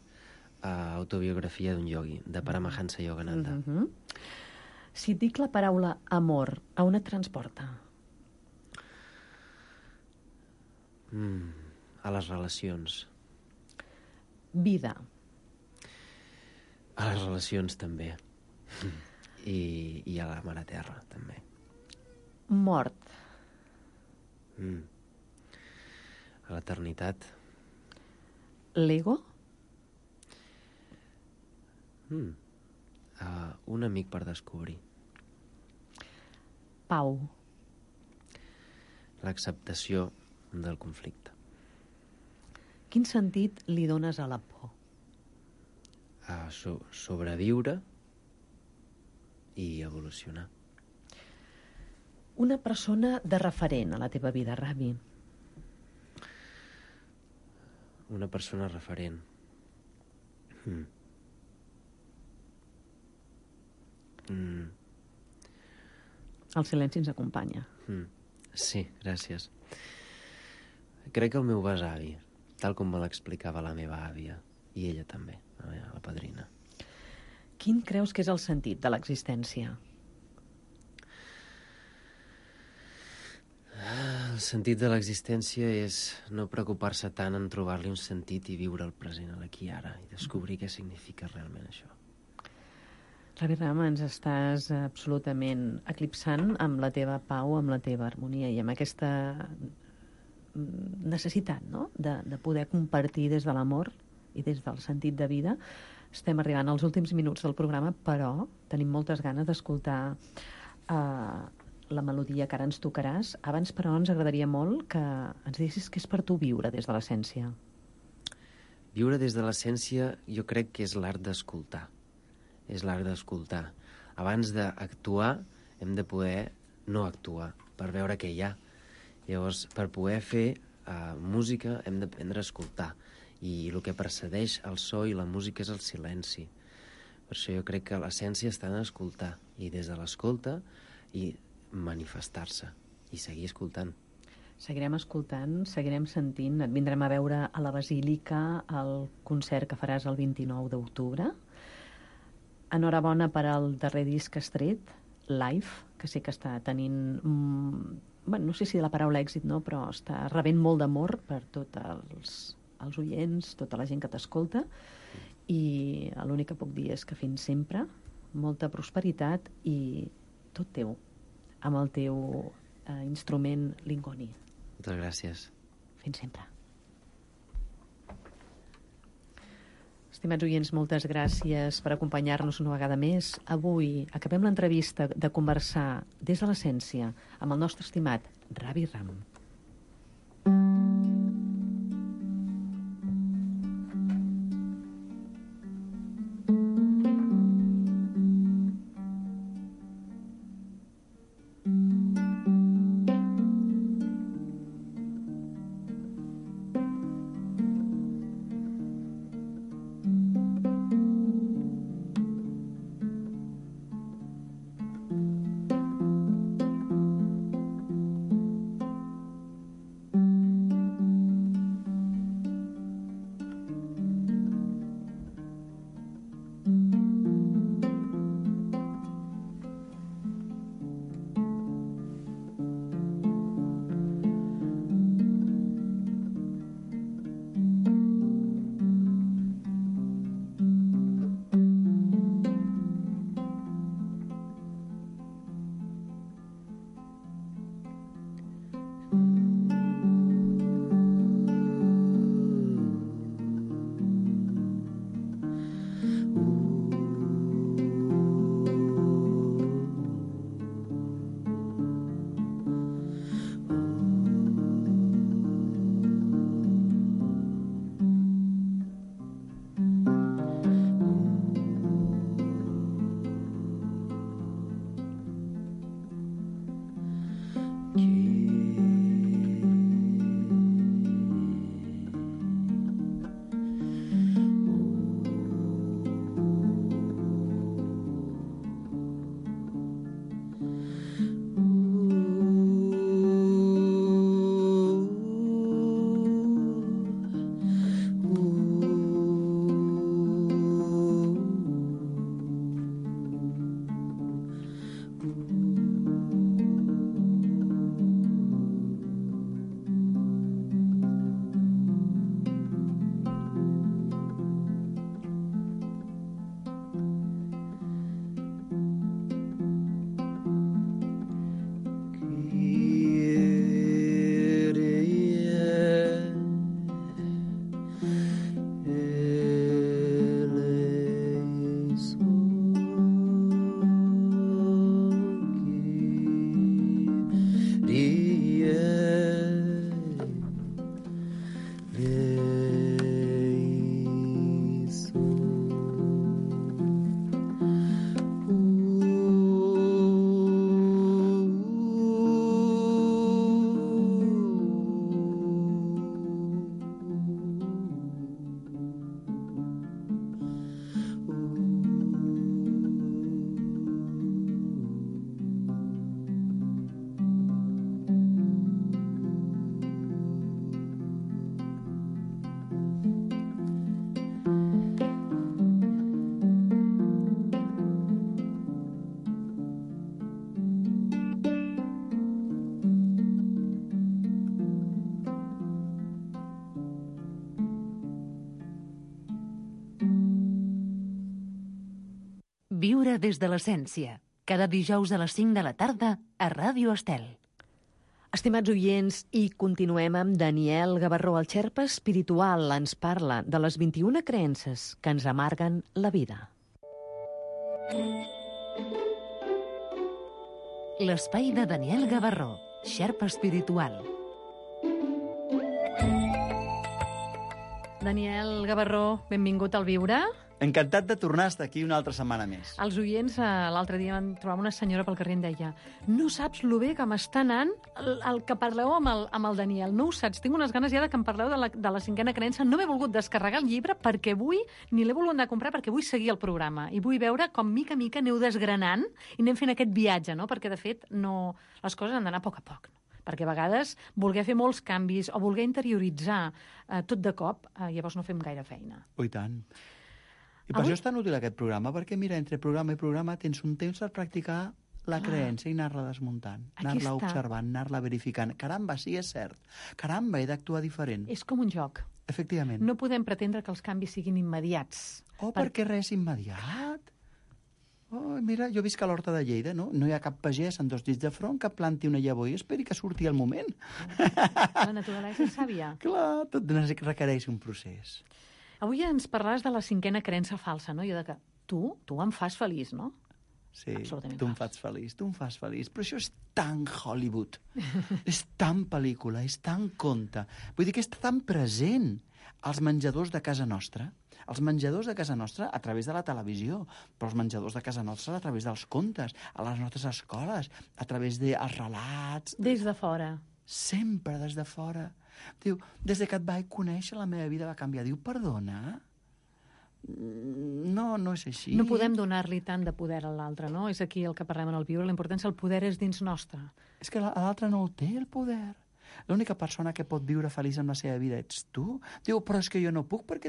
Autobiografia d'un iogui, de Paramahansa Yogananda. Si et dic la paraula amor, a on et transporta? A les relacions. Vida. A les relacions també. I a la mare terra també. Mort. A l'eternitat. L'ego. Un amic per descobrir. Pau. L'acceptació del conflicte. Quin sentit li dones a la por? Sobreviure i evolucionar. Una persona de referent a la teva vida, Ravi. Una persona referent. El silenci ens acompanya. Sí, gràcies. Crec que el meu besavi, tal com me l'explicava la meva àvia, i ella també, la padrina. Quin creus que és el sentit de l'existència? El sentit de l'existència és no preocupar-se tant en trobar-li un sentit i viure el present, l'aquí i ara, i descobrir què significa realment això. Ravi Rama, ens estàs absolutament eclipsant amb la teva pau, amb la teva harmonia i amb aquesta necessitat, no?, de poder compartir des de l'amor i des del sentit de vida. Estem arribant als últims minuts del programa, però tenim moltes ganes d'escoltar la melodia que ara ens tocaràs. Abans, però, ens agradaria molt que ens diguessis què és per tu viure des de l'essència. Viure des de l'essència jo crec que és l'art d'escoltar. És l'art d'escoltar. Abans d'actuar hem de poder no actuar per veure què hi ha. Llavors, per poder fer música hem d'aprendre a escoltar. I el que precedeix el so i la música és el silenci. Per això jo crec que l'essència està en escoltar. I des de l'escolta i manifestar-se. I seguir escoltant. Seguirem escoltant, seguirem sentint. Et vindrem a veure a la Basílica al concert que faràs el 29 d'octubre. enhorabona per al darrer disc estret, Live, que sé que està tenint... Bueno, no sé si la paraula èxit, no, però està rebent molt d'amor per tots els oients, tota la gent que t'escolta, i l'únic que puc dir és que fins sempre, molta prosperitat i tot teu, amb el teu instrument Lingoni. Moltes gràcies. Fins sempre. Estimats oients, moltes gràcies per acompanyar-nos una vegada més. Avui acabem l'entrevista de conversar des de l'essència amb el nostre estimat Ravi Ram. Viure des de l'essència. Cada dijous a les 5 de la tarda a Ràdio Estel. Estimats oients, i continuem amb Daniel Gavarró. El xerpa espiritual ens parla de les 21 creences que ens amarguen la vida. L'espai de Daniel Gavarró, xerpa espiritual. Daniel Gavarró, benvingut al Viure. Encantat de tornar a estar aquí una altra setmana més. Els oients, l'altre dia van trobar una senyora pel carrer i em deia: no saps lo bé que m'està anant el que parleu amb el Daniel. No ho saps, tinc unes ganes ja de que em parleu de la cinquena creença. No m'he volgut descarregar el llibre perquè vull, ni l'he volgut anar a comprar perquè vull seguir el programa. I vull veure com mica a mica aneu desgranant i anem fent aquest viatge, no? Perquè de fet les coses han d'anar a poc a poc, no? Perquè a vegades voler fer molts canvis o voler interioritzar tot de cop, llavors no fem gaire feina. Oh, i tant. I per això és tan útil aquest programa, perquè, mira, entre programa i programa tens un temps per practicar la creença i anar-la desmuntant, anar-la observant, anar-la verificant. Caramba, sí, és cert. Caramba, he d'actuar diferent. És com un joc. Efectivament. No podem pretendre que els canvis siguin immediats. Perquè res immediat. Oh, mira, jo visc a l'Horta de Lleida, no? No hi ha cap pagès amb 2 dits de front que planti una llavor i esperi que surti el moment. La naturalesa és sàvia. Clar, tot requereix un procés. Avui ens parlaràs de la 5a creença falsa, no? Jo de que tu em fas feliç, no? Sí, absolutament tu em fas feliç. Però això és tan Hollywood, és tan pel·lícula, és tan conte. Vull dir que està tan present als menjadors de casa nostra, a través de la televisió, però els menjadors de casa nostra a través dels contes, a les nostres escoles, a través dels relats... Des de fora. Sempre des de fora. Diu, des que et vaig conèixer la meva vida va canviar. Diu, perdona? No és així. No podem donar-li tant de poder a l'altre, no? És aquí el que parlem en el viure, la importància, el poder és dins nostre. És que l'altre no el té, el poder. L'única persona que pot viure feliç amb la seva vida ets tu. Diu, però és que jo no puc perquè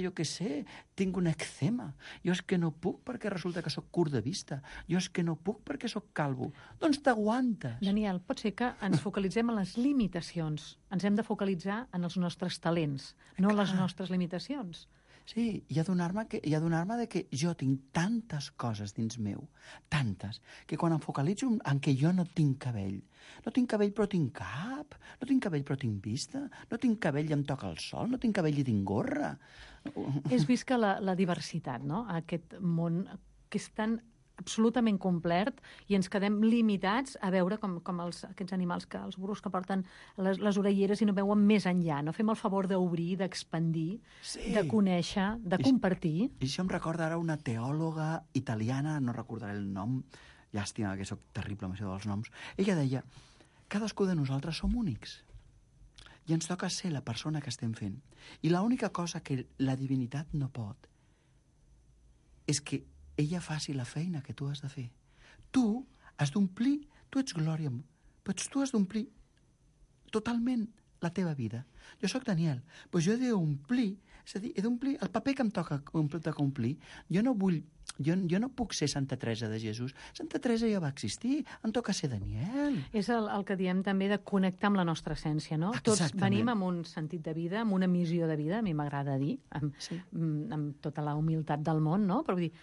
jo què sé, tinc un eczema. Jo és que no puc perquè resulta que sóc curt de vista. Jo és que no puc perquè sóc calvo. Doncs t'aguantes. Daniel, pot ser que ens focalitzem en les limitacions. Ens hem de focalitzar en els nostres talents, no en les nostres limitacions. Sí, i adonar-me que jo tinc tantes coses dins meu, tantes, que quan em focalitzo en que jo no tinc cabell però tinc cap, no tinc cabell però tinc vista, no tinc cabell i em toca el sol, no tinc cabell i tinc gorra. És vist que la diversitat, no? Aquest món que és tan absolutament complet i ens quedem limitats a veure com aquests animals, els burros que porten les orelleres i no veuen més enllà. No fem el favor d'obrir, d'expandir, de conèixer, de compartir. I això em recorda ara una teòloga italiana, no recordaré el nom, llàstima que sóc terrible amb això dels noms. Ella deia, cadascú de nosaltres som únics i ens toca ser la persona que estem fent. I l'única cosa que la divinitat no pot és que ella faci la feina que tu has de fer. Tu has d'omplir, tu ets Glòria, però tu has d'omplir totalment la teva vida. Jo sóc Daniel, però jo he d'omplir, és a dir, he d'omplir el paper que em toca omplir. Jo no puc ser Santa Teresa de Jesús. Santa Teresa ja va existir, em toca ser Daniel. És el que diem també de connectar amb la nostra essència, no? Exactament. Tots venim amb un sentit de vida, amb una missió de vida, a mi m'agrada dir, amb tota la humilitat del món, no? Però vull dir,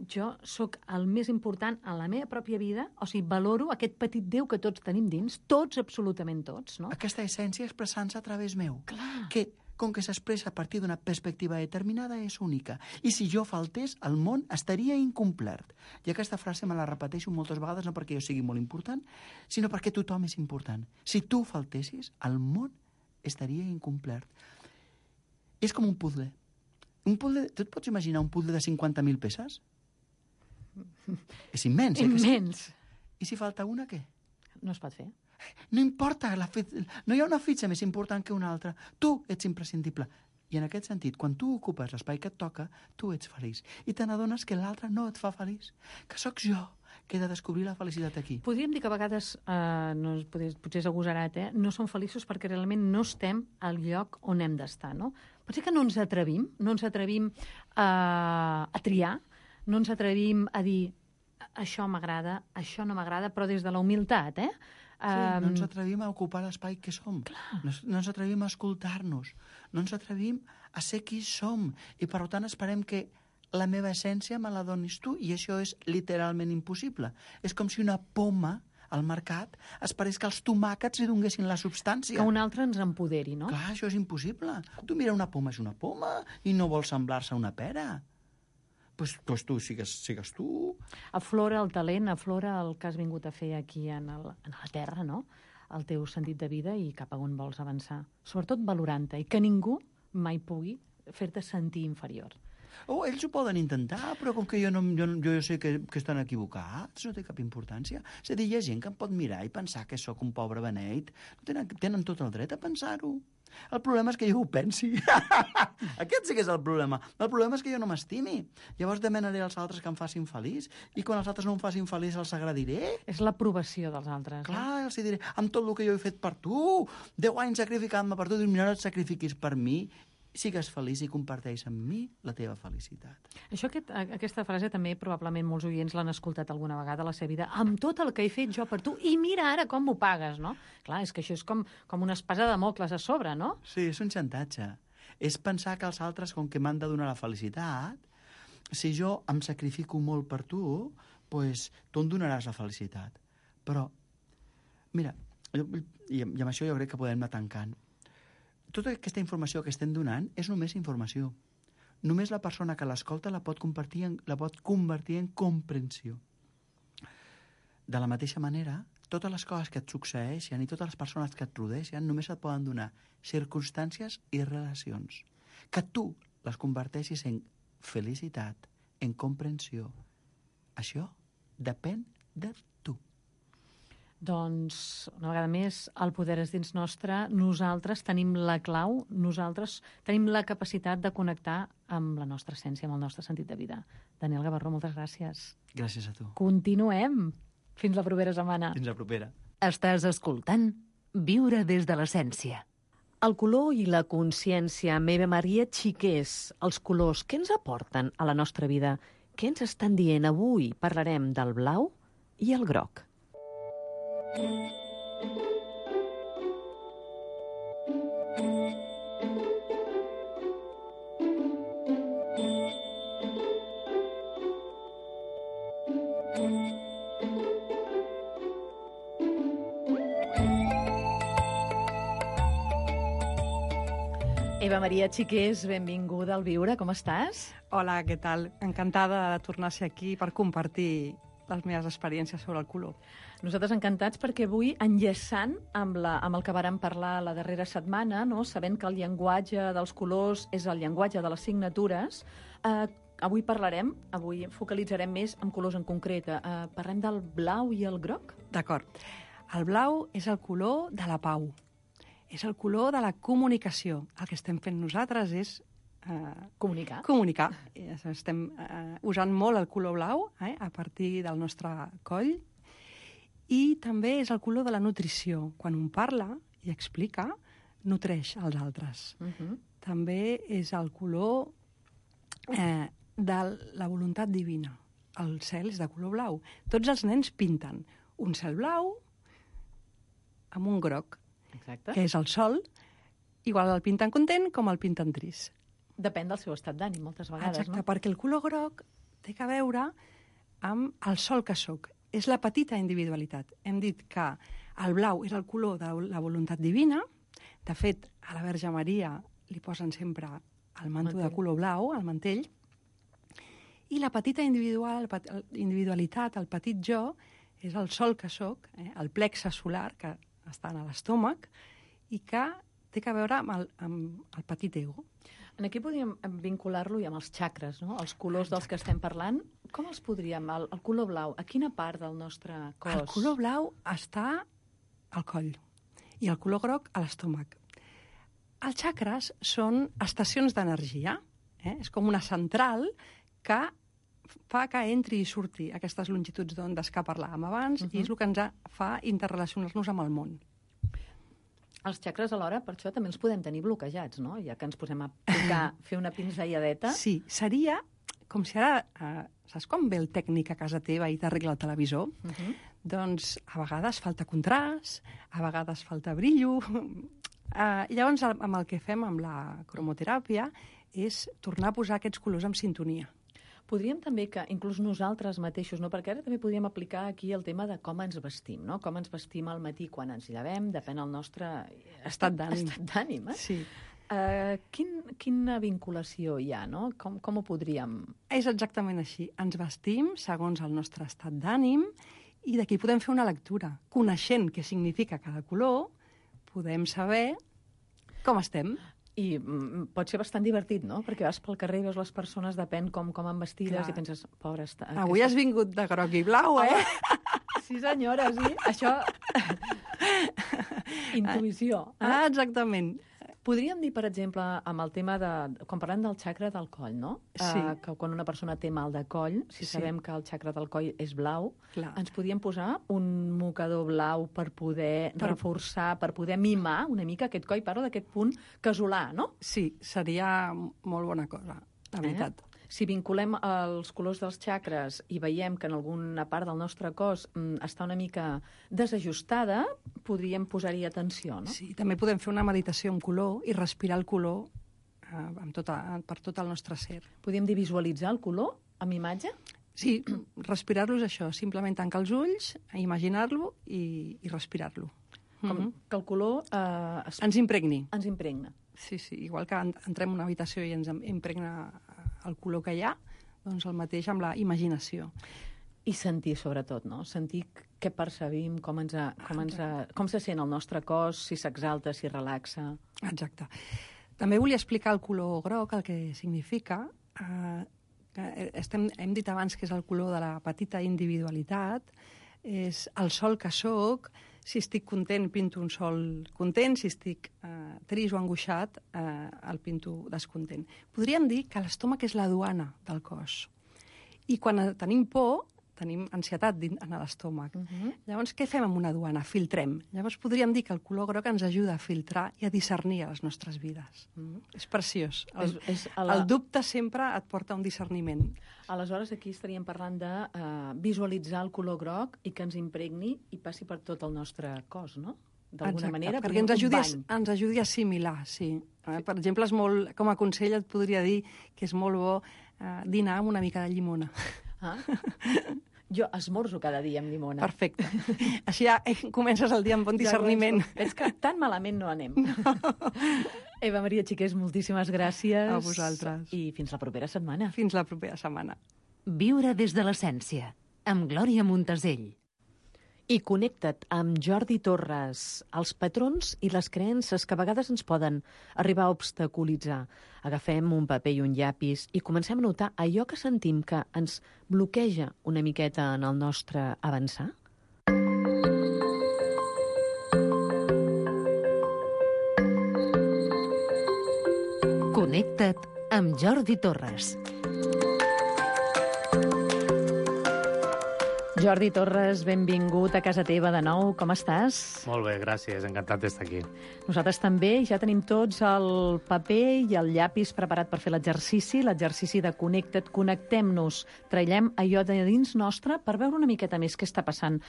jo sóc el més important en la meva pròpia vida, o sigui, valoro aquest petit Déu que tots tenim dins, tots, absolutament tots, no? Aquesta essència expressant-se a través meu. Clar. Que, com que s'expressa a partir d'una perspectiva determinada, és única. I si jo faltés, el món estaria incomplet. I aquesta frase me la repeteixo moltes vegades, no perquè jo sigui molt important, sinó perquè tothom és important. Si tu faltessis, el món estaria incomplet. És com un puzzle. Tu et pots imaginar un puzzle de 50.000 peces? És immens, Immens. I si falta una, què? No es pot fer. No importa, no hi ha una fitxa més important que una altra. Tu ets imprescindible. I en aquest sentit, quan tu ocupes l'espai que et toca, tu ets feliç. I te n'adones que l'altre no et fa feliç. Que sóc jo que he de descobrir la felicitat aquí. Podríem dir que a vegades, potser és agosarat, no som feliços perquè realment no estem al lloc on hem d'estar, no? Pot ser que no ens atrevim a triar, no ens atrevim a dir això m'agrada, això no m'agrada, però des de la humilitat, Sí, no ens atrevim a ocupar l'espai que som. No ens atrevim a escoltar-nos. No ens atrevim a ser qui som. I, per tant, esperem que la meva essència me la donis tu, i això és literalment impossible. És com si una poma al mercat esperés que els tomàquets li donguessin la substància. Que un altre ens empoderi, no? Clar, això és impossible. Tu mira, una poma és una poma i no vol semblar-se a una pera. Pues tu sigues tu. Aflora el talent, aflora el que has vingut a fer aquí en la Terra, no? El teu sentit de vida i cap a on vols avançar. Sobretot valorant-te, i que ningú mai pugui fer-te sentir inferior. Ells ho poden intentar, però com que jo sé que estan equivocats, no té cap importància. És a dir, hi ha gent que em pot mirar i pensar que sóc un pobre beneit. Tenen tot el dret a pensar-ho. El problema és que jo ho pensi. Aquest sí que és el problema. El problema és que jo no m'estimi. Llavors demanaré als altres que em facin feliç, i quan els altres no em facin feliç els agradiré. És l'aprovació dels altres. Clar, els diré, amb tot el que jo he fet per tu, 10 anys sacrificant-me per tu, dius, mira, no et sacrifiquis per mi, sigues feliç i comparteix amb mi la teva felicitat. Això, aquesta frase també probablement molts oients l'han escoltat alguna vegada a la seva vida. Amb tot el que he fet jo per tu, i mira ara com m'ho pagues, no? Clar, és que això és com una espasa de Damocles a sobre, no? Sí, és un xantatge. És pensar que els altres, com que m'han de donar la felicitat, si jo em sacrifico molt per tu, doncs tu em donaràs la felicitat. Però, mira, i amb això jo crec que podem anar tancant. Tota aquesta informació que estem donant és només informació. Només la persona que l'escolta la pot convertir en comprensió. De la mateixa manera, totes les coses que et succeeixen i totes les persones que et rodeixen només et poden donar circumstàncies i relacions. Que tu les converteixis en felicitat, en comprensió. Això depèn de tu. Doncs, una vegada més, el poder és dins nostre. Nosaltres tenim la clau, nosaltres tenim la capacitat de connectar amb la nostra essència, amb el nostre sentit de vida. Daniel Gavarró, moltes gràcies. Gràcies a tu. Continuem. Fins la propera setmana. Fins la propera. Estàs escoltant Viure des de l'essència. El color i la consciència, amb Eva Maria Xiqués. Els colors, què ens aporten a la nostra vida? Què ens estan dient avui? Parlarem del blau i el groc. Eva Maria Xiqués, benvinguda al Viure, com estàs? Hola, què tal? Encantada de tornar a ser aquí per compartir les meves experiències sobre el color. Nosaltres encantats perquè avui, enllaçant amb el que vàrem parlar la darrera setmana, no? Sabent que el llenguatge dels colors és el llenguatge de les signatures, avui focalitzarem més en colors en concret. Parlem del blau i el groc? D'acord. El blau és el color de la pau. És el color de la comunicació. El que estem fent nosaltres és comunicar. Estem usant molt el color blau a partir del nostre coll, i també és el color de la nutrició. Quan un parla i explica, nutreix els altres. També és el color de la voluntat divina. El cel és de color blau. Tots els nens pinten un cel blau amb un groc. Exacte. Que és el sol, igual el pinten content com el pinten trist. Depèn del seu estat d'ànim, moltes vegades, exacte, no? Perquè el color groc té a veure amb el sol que sóc. És la petita individualitat. Hem dit que el blau és el color de la voluntat divina. De fet, a la Verge Maria li posen sempre el manto de color blau, el mantell. I la petita individualitat, el petit jo, és el sol que sóc, el plexe solar, que estan a l'estómac, i que té a veure amb el petit ego. Aquí podríem vincular-lo i amb els xacres, no? Els colors dels que estem parlant. Com els podríem? El color blau, a quina part del nostre cos? El color blau està al coll i el color groc a l'estómac. Els xacres són estacions d'energia. És com una central que fa que entri i surti aquestes longituds d'ondes que parlàvem abans, i és el que ens fa interrelacionar-nos amb el món. Els xacres, alhora, per això també els podem tenir bloquejats, no? Ja que ens posem a fer una pinzelladeta. Sí, seria com si ara, saps com ve el tècnic a casa teva i t'arregla el televisor? Doncs a vegades falta contrast, a vegades falta brillo. Llavors, amb el que fem amb la cromoteràpia és tornar a posar aquests colors en sintonia. Podríem també que, inclús nosaltres mateixos, no? Perquè ara també podríem aplicar aquí el tema de com ens vestim, no? Com ens vestim al matí quan ens llevem, depèn del nostre estat d'ànim. Sí. Quina vinculació hi ha, no? Com ho podríem... És exactament així. Ens vestim segons el nostre estat d'ànim, i d'aquí podem fer una lectura. Coneixent què significa cada color, podem saber com estem. I pot ser bastant divertit, no? Perquè vas pel carrer i veus les persones, depèn com han vestides, i penses, pobra... Avui has vingut de groc i blau, Sí, senyora, sí. Això... Intuïció. Exactament. Podríem dir, per exemple, amb el tema de... Quan parlem del xacra del coll, no? Sí. Que quan una persona té mal de coll, si sabem que el xacra del coll és blau, Clar. ens podríem posar un mocador blau per poder reforçar, per poder mimar una mica aquest coll. Parlo d'aquest punt casolà, no? Sí, seria molt bona cosa, la veritat. Si vinculem els colors dels xacres i veiem que en alguna part del nostre cos està una mica desajustada, podríem posar-hi atenció, no? Sí, també podem fer una meditació amb color i respirar el color per tot el nostre ser. Podríem dir visualitzar el color amb imatge? Sí, respirar-lo és això, simplement tancar els ulls, imaginar-lo i respirar-lo. Com que el color... Ens impregni. Ens impregna. Sí, igual que entrem en una habitació i ens impregna el color que hi ha, doncs el mateix amb la imaginació. I sentir, sobretot, no? Sentir què percebim, com se sent el nostre cos, si s'exalta, si relaxa. Exacte. També volia explicar el color groc, el que significa. Hem dit abans que és el color de la petita individualitat, és el sol que sóc. Si estic content, pinto un sol content. Si estic trist o angoixat, el pinto descontent. Podríem dir que l'estómac és la duana del cos. I quan tenim por, tenim ansietat en l'estómac. Llavors, què fem amb una duana? Filtrem. Llavors, podríem dir que el color groc ens ajuda a filtrar i a discernir a les nostres vides. És preciós. El dubte sempre et porta a un discerniment. Aleshores, aquí estaríem parlant de visualitzar el color groc i que ens impregni i passi per tot el nostre cos, no? D'alguna manera, perquè ens ajudi a assimilar, sí. Per exemple, com a consell et podria dir que és molt bo dinar amb una mica de llimona. Jo esmorzo cada dia amb llimona. Perfecte. Així ja comences el dia amb bon discerniment. És que tan malament no anem. Eva Maria Xiqués, moltíssimes gràcies. A vosaltres. I fins la propera setmana. Fins la propera setmana. Viure des de l'essència, amb Glòria Montesell. I connecta't amb Jordi Torres, els patrons i les creences que a vegades ens poden arribar a obstaculitzar. Agafem un paper i un llapis i comencem a notar allò que sentim que ens bloqueja una miqueta en el nostre avançar. Connecta't amb Jordi Torres. Jordi Torres, benvingut a casa teva de nou. Com estàs? Molt bé, gràcies. Encantat d'estar aquí. Nosaltres també. Ja tenim tots el paper i el llapis preparat per fer l'exercici de Connecta't. Connectem-nos. Traiem allò de dins nostre per veure una miqueta més què està passant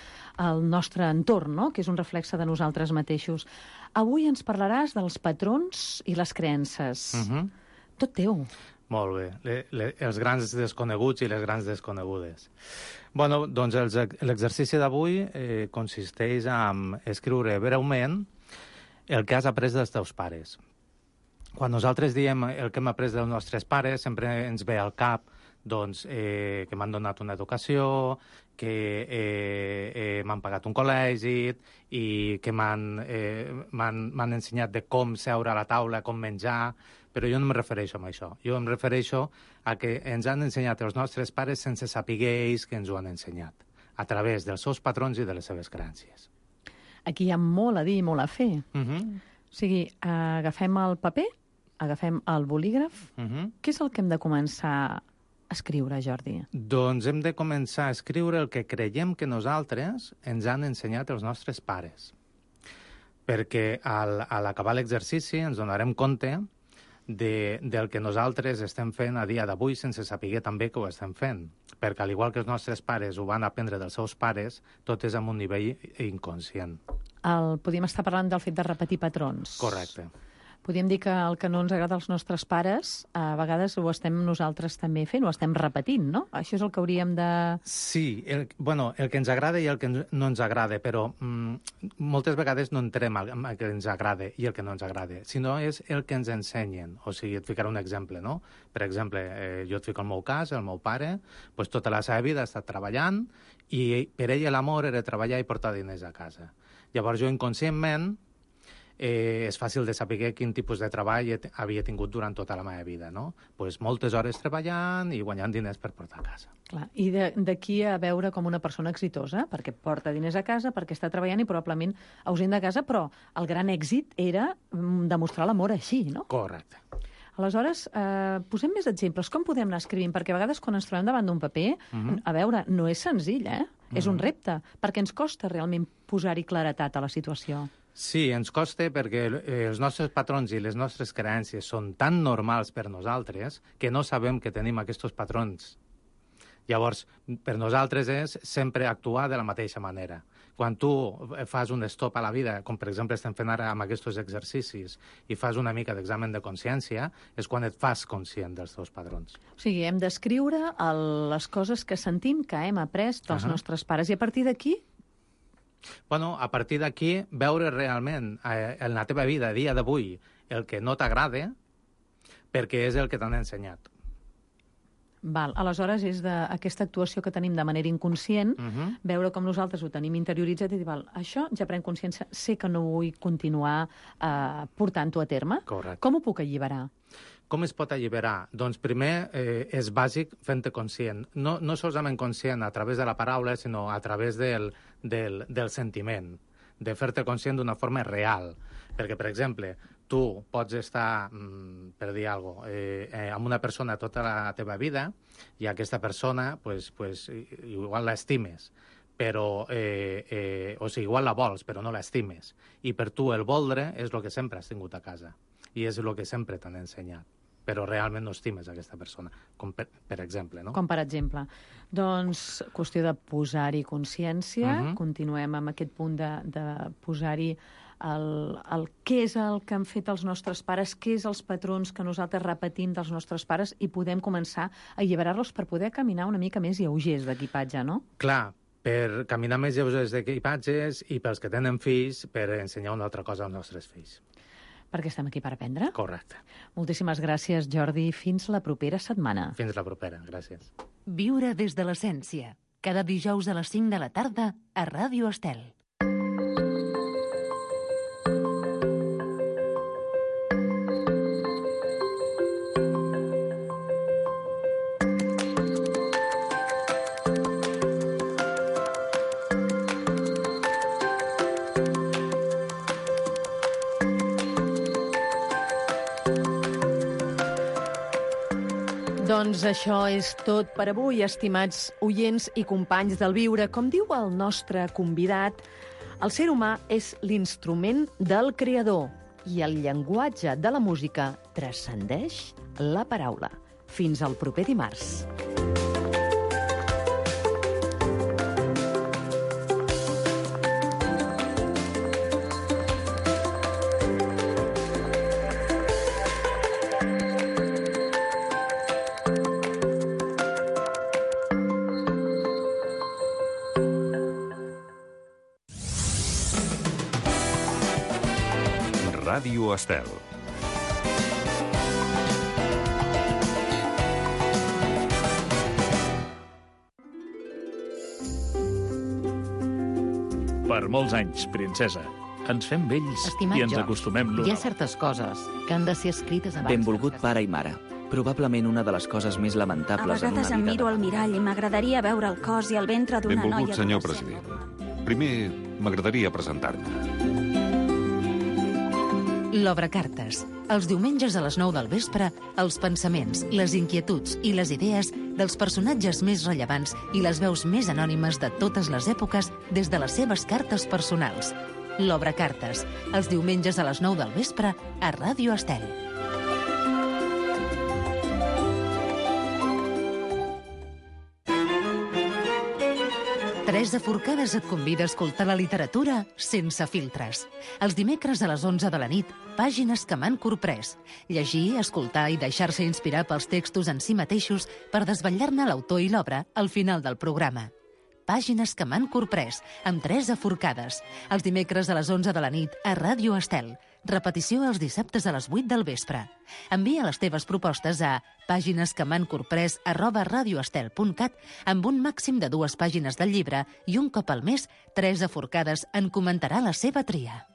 al nostre entorn, no? Que és un reflexe de nosaltres mateixos. Avui ens parlaràs dels patrons i les creences. Tot teu. Molt bé. Els grans desconeguts i les grans desconegudes. Bueno, doncs l'exercici d'avui consisteix en escriure breument el que has après dels teus pares. Quan nosaltres diem el que hem après dels nostres pares, sempre ens ve al cap doncs, que m'han donat una educació, que m'han pagat un col·legi i que m'han ensenyat de com seure a la taula, com menjar, però jo no em refereixo a això. Jo em refereixo a que ens han ensenyat els nostres pares sense saber ells que ens ho han ensenyat, a través dels seus patrons i de les seves creences. Aquí hi ha molt a dir i molt a fer. O sigui, agafem el paper, agafem el bolígraf. Què és el que hem de començar a escriure, Jordi? Doncs hem de començar a escriure el que creiem que nosaltres ens han ensenyat els nostres pares. Perquè a l'acabar l'exercici ens donarem compte del que nosaltres estem fent a dia d'avui sense saber també que ho estem fent. Perquè, al igual que els nostres pares ho van aprendre dels seus pares, tot és en un nivell inconscient. Podríem estar parlant del fet de repetir patrons. Correcte. Podríem dir que el que no ens agrada als nostres pares, a vegades ho estem nosaltres també fent, ho estem repetint, no? Això és el que hauríem de... Sí, el que ens agrada i el que no ens agrada, però moltes vegades no entrem el que ens agrada i el que no ens agrada, sinó és el que ens ensenyen. O sigui, et ficaré un exemple, no? Per exemple, jo et fico el meu cas, el meu pare, doncs tota la seva vida ha estat treballant i per ell l'amor era treballar i portar diners a casa. Llavors jo inconscientment és fàcil de saber quin tipus de treball havia tingut durant tota la meva vida, no? Pues moltes hores treballant i guanyant diners per portar a casa. Clar. I d'aquí a veure com una persona exitosa, perquè porta diners a casa, perquè està treballant i probablement ausent de casa, però el gran èxit era demostrar l'amor així, no? Correcte. Aleshores, posem més exemples. Com podem anar escrivint? Perquè a vegades quan ens trobem davant d'un paper, a veure, no és senzill, És un repte, perquè ens costa realment posar-hi claretat a la situació. Sí, ens costa perquè els nostres patrons i les nostres creences són tan normals per nosaltres que no sabem que tenim aquests patrons. Llavors, per nosaltres és sempre actuar de la mateixa manera. Quan tu fas un stop a la vida, com per exemple estem fent ara amb aquests exercicis, i fas una mica d'examen de consciència, és quan et fas conscient dels teus patrons. O sigui, hem d'escriure les coses que sentim, que hem après dels nostres pares, i a partir d'aquí? Bueno, a partir d'aquí, veure realment en la teva vida, a dia d'avui, el que no t'agrada, perquè és el que t'han ensenyat. Val. Aleshores, és d'aquesta actuació que tenim de manera inconscient, veure com nosaltres ho tenim interioritzat i dir, val, això ja prenc consciència, sé que no vull continuar portant-ho a terme. Correcte. Com ho puc alliberar? Com es pot alliberar? Doncs primer és bàsic fent-te conscient. No solament conscient a través de la paraula, sinó a través del sentiment, de fer-te conscient d'una forma real. Perquè, per exemple, tu pots estar, per dir alguna cosa, amb una persona tota la teva vida i aquesta persona, pues, igual l'estimes, però, o sigui, igual la vols, però no l'estimes. I per tu el voldre és el que sempre has tingut a casa i és el que sempre t'han ensenyat, però realment no estimes aquesta persona, com per exemple, no? Com per exemple. Doncs, qüestió de posar-hi consciència, continuem amb aquest punt de posar-hi què és el que han fet els nostres pares, què és els patrons que nosaltres repetim dels nostres pares i podem començar a alliberar-los per poder caminar una mica més lleugers d'equipatge, no? Clar, per caminar més lleugers d'equipatges i pels que tenen fills, per ensenyar una altra cosa als nostres fills. Perquè estem aquí per aprendre? Correcte. Moltíssimes gràcies, Jordi. Fins la propera setmana. Fins la propera, gràcies. Viure des de l'essència. Cada dijous a les 5 de la tarda a Ràdio Estel. Doncs això és tot per avui, estimats oients i companys del Viure. Com diu el nostre convidat, el ser humà és l'instrument del creador i el llenguatge de la música transcendeix la paraula. Fins al proper dimarts. Ràdio Estel. Per molts anys, princesa. Ens fem vells Estimat i ens George, acostumem l'un hi ha a l'altre. certes coses que han de ser escrites abans. Benvolgut pare i mare. Probablement una de les coses més A lamentables en una vegades em vida... miro al mirall i m'agradaria veure el cos i el ventre d'una noia... Benvolgut, senyor adolescent. president. Primer, m'agradaria presentar-me. L'Obrecartes. Els diumenges a les 9 del vespre, els pensaments, les inquietuds i les idees dels personatges més rellevants i les veus més anònimes de totes les èpoques des de les seves cartes personals. L'Obrecartes. Els diumenges a les 9 del vespre a Ràdio Estel. Teresa Forcades et convida a escoltar la literatura sense filtres. Els dimecres a les 11 de la nit, pàgines que m'han corprès. Llegir, escoltar i deixar-se inspirar pels textos en si mateixos per desvetllar-ne l'autor i l'obra al final del programa. Pàgines que m'han corprès, amb Teresa Forcades. Els dimecres a les 11 de la nit a Ràdio Estel. Repetició els dissabtes a les 8 del vespre. Envia les teves propostes a paginesquemancorprès@radioestel.cat amb un màxim de 2 pàgines del llibre i un cop al mes, Teresa Forcades en comentarà la seva tria.